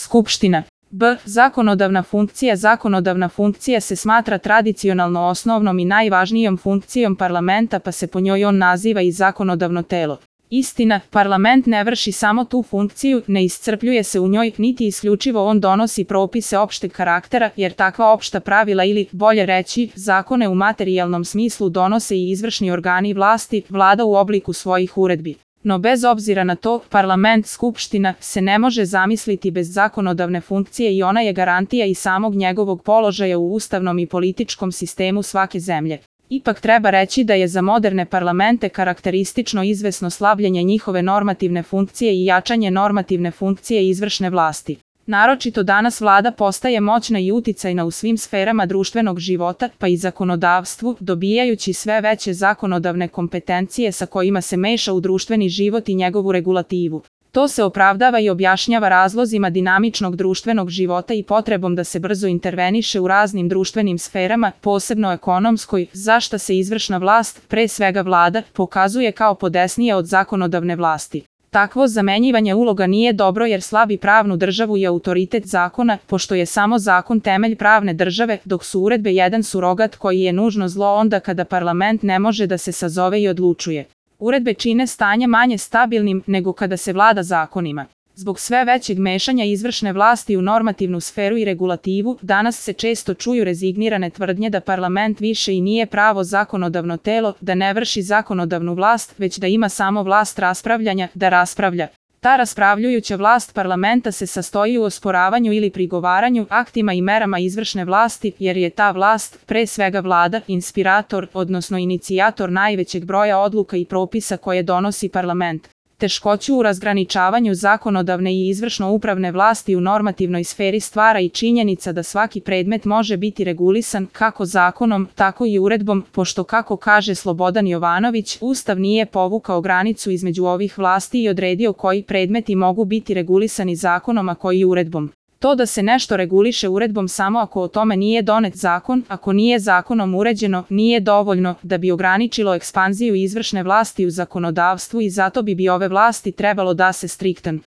Skupština. B. Zakonodavna funkcija. Zakonodavna funkcija se smatra tradicionalno osnovnom i najvažnijom funkcijom parlamenta, pa se po njoj on naziva i zakonodavno telo. Istina, parlament ne vrši samo tu funkciju, ne iscrpljuje se u njoj, niti isključivo on donosi propise opšteg karaktera, jer takva opšta pravila ili, bolje reći, zakone u materijalnom smislu donose i izvršni organi vlasti, vlada u obliku svojih uredbi. No bez obzira na to, parlament, skupština, se ne može zamisliti bez zakonodavne funkcije i ona je garantija i samog njegovog položaja u ustavnom i političkom sistemu svake zemlje. Ipak treba reći da je za moderne parlamente karakteristično izvesno slabljenje njihove normativne funkcije i jačanje normativne funkcije izvršne vlasti. Naročito danas vlada postaje moćna i uticajna u svim sferama društvenog života, pa i zakonodavstvu, dobijajući sve veće zakonodavne kompetencije sa kojima se meša u društveni život i njegovu regulativu. To se opravdava i objašnjava razlozima dinamičnog društvenog života i potrebom da se brzo interveniše u raznim društvenim sferama, posebno ekonomskoj, za šta se izvršna vlast, pre svega vlada, pokazuje kao podesnija od zakonodavne vlasti. Takvo zamenjivanje uloga nije dobro jer slabi pravnu državu i autoritet zakona, pošto je samo zakon temelj pravne države, dok su uredbe jedan surogat koji je nužno zlo onda kada parlament ne može da se sazove i odlučuje. Uredbe čine stanje manje stabilnim nego kada se vlada zakonima. Zbog sve većeg mešanja izvršne vlasti u normativnu sferu i regulativu, danas se često čuju rezignirane tvrdnje da parlament više i nije pravo zakonodavno telo, da ne vrši zakonodavnu vlast, već da ima samo vlast raspravljanja, da raspravlja. Ta raspravljujuća vlast parlamenta se sastoji u osporavanju ili prigovaranju aktima i merama izvršne vlasti, jer je ta vlast, pre svega vlada, inspirator, odnosno inicijator najvećeg broja odluka i propisa koje donosi parlament. Teškoću u razgraničavanju zakonodavne i izvršno-upravne vlasti u normativnoj sferi stvara i činjenica da svaki predmet može biti regulisan kako zakonom, tako i uredbom, pošto, kako kaže Slobodan Jovanović, Ustav nije povukao granicu između ovih vlasti i odredio koji predmeti mogu biti regulisani zakonom, a koji uredbom. To da se nešto reguliše uredbom samo ako o tome nije donet zakon, ako nije zakonom uređeno, nije dovoljno da bi ograničilo ekspanziju izvršne vlasti u zakonodavstvu i zato bi ove vlasti trebalo da se striktan